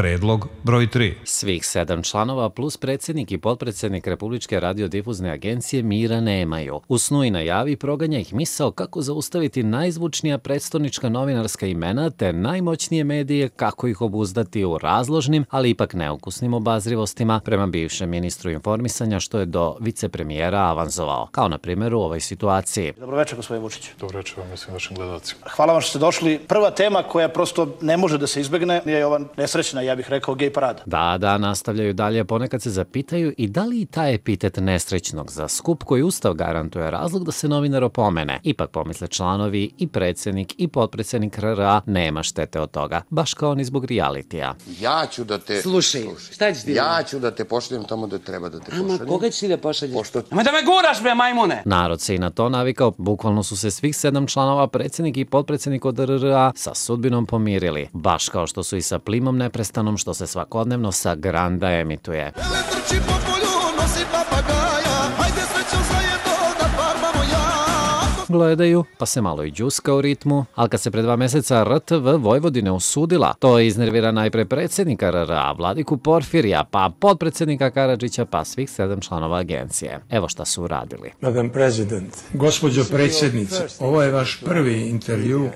Predlog broj 3. Svih 7 članova plus predsjednik i potpredsjednik Republičke radiodifuzne agencije mira nemaju. U snu i najavi proganja ih misao kako zaustaviti najzvučnija predstavnička novinarska imena te najmoćnije medije kako ih obuzdati u razložnim, ali ipak neukusnim obazrivostima prema bivšem ministru informisanja što je do vicepremijera avanzovao. Kao na primjer u ovoj situaciji. Dobro večer, gospodin Vučić. Dobro večer vam i svim vašim gledalcima. Hvala vam što ste došli. Prva tema koja prosto ne može da se izbegne je ova nesrećna, ja bih rekao, gej parada. Da, nastavljaju dalje, ponekad se zapitaju i da li i taj epitet nesrećnog za skup koji Ustav garantuje razlog da se novinar opomene. Ipak pomisle članovi i predsjednik i potpredsjednik RRA nema štete od toga, baš kao ni zbog realitija. Ja ću da te... Slušaj, šta ćeš ti? Ja ću da te pošaljem tamo da treba da te pošaljem. Ama, koga ćeš ti da pošalješ? Pošto... Ama da me guraš, bre, majmune! Narod se i na to navikao, bukvalno su se svih 7 članova, predsjednik i potpredsjednik od RRA, sa sudbinom pomirili. Baš kao što su i sa Plimom neprestanom što se svakodnevno sa Granda emituje. Gledaju, pa se malo i džuska u ritmu, ali kad se pred 2 mjeseca RTV Vojvodine usudila, to iznervira najpre predsjednika RRA, Vladiku Porfirija, pa potpredsjednika Karadžića, pa svih 7 članova agencije. Evo šta su uradili. Madam President, gospođo predsjednice, ovo je vaš prvi intervju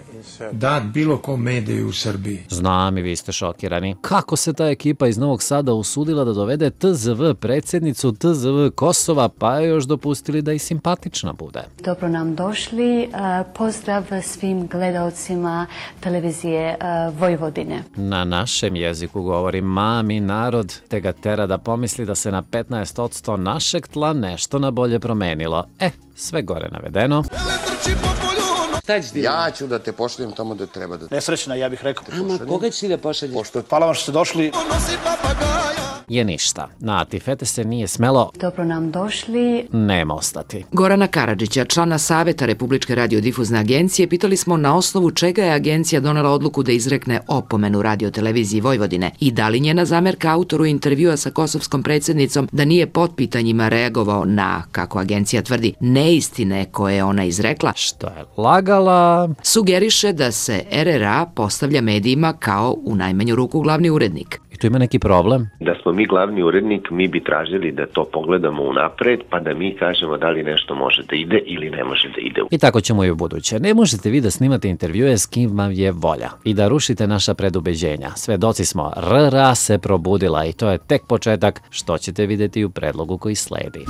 dat bilo kom mediju u Srbiji. Znam i vi ste šokirani. Kako se ta ekipa iz Novog Sada usudila da dovede TZV predsjednicu TZV Kosova, pa je još dopustili da i simpatična bude. Dobro nam došli. Pozdrav svim gledalcima televizije Vojvodine. Na našem jeziku govori mami narod, te ga tera da pomisli da se na 15% našeg tla nešto na bolje promenilo. Sve gore navedeno. Šta ćeš ti? Ja ću da te pošaljem tamo da treba da te... Nesrećna, ja bih rekao. Ama, koga ćeš ti da pošalješ? Pošto... Hvala vam što ste došli. Je ništa. Na Atifete se nije smelo Dobro nam došli. nema ostati. Gorana Karadžića, člana Saveta Republičke radiodifuzne agencije, pitali smo na osnovu čega je agencija donela odluku da izrekne opomenu radioteleviziji Vojvodine i da li njena zamerka autoru intervjua sa kosovskom predsjednicom da nije pod pitanjima reagovao na, kako agencija tvrdi, neistine koje je ona izrekla, Što je lagala... sugeriše da se RRA postavlja medijima kao u najmanju ruku glavni urednik. I tu ima neki problem. Da smo mi glavni urednik, mi bi tražili da to pogledamo unapred, pa da mi kažemo da li nešto može da ide ili ne može da ide. I tako ćemo i u buduće. Ne možete vi da snimate intervjue s kim vam je volja i da rušite naša predubeđenja. Svedoci smo, RRA se probudila i to je tek početak što ćete vidjeti u predlogu koji sledi.